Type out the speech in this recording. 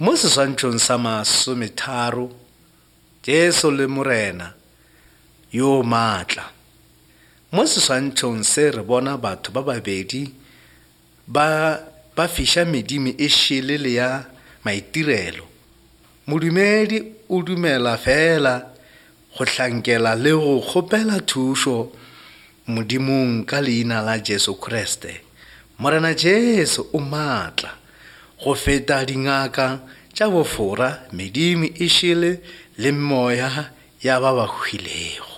Mo seswantšhong sa masometharo, Jesu le Morena yo maatla. Mo seswantšhong se re bona batho ba babedi ba ba fiša medimo e šele le ya maitirelo. Modumedi o dumela feela go hlankela le go kgopela thušo Modimong ka leina la Jesu Kriste. Morena Jesu o maatla go feta dingaka tša bofora, medimo e šele le meoya ya ba ba hwilego.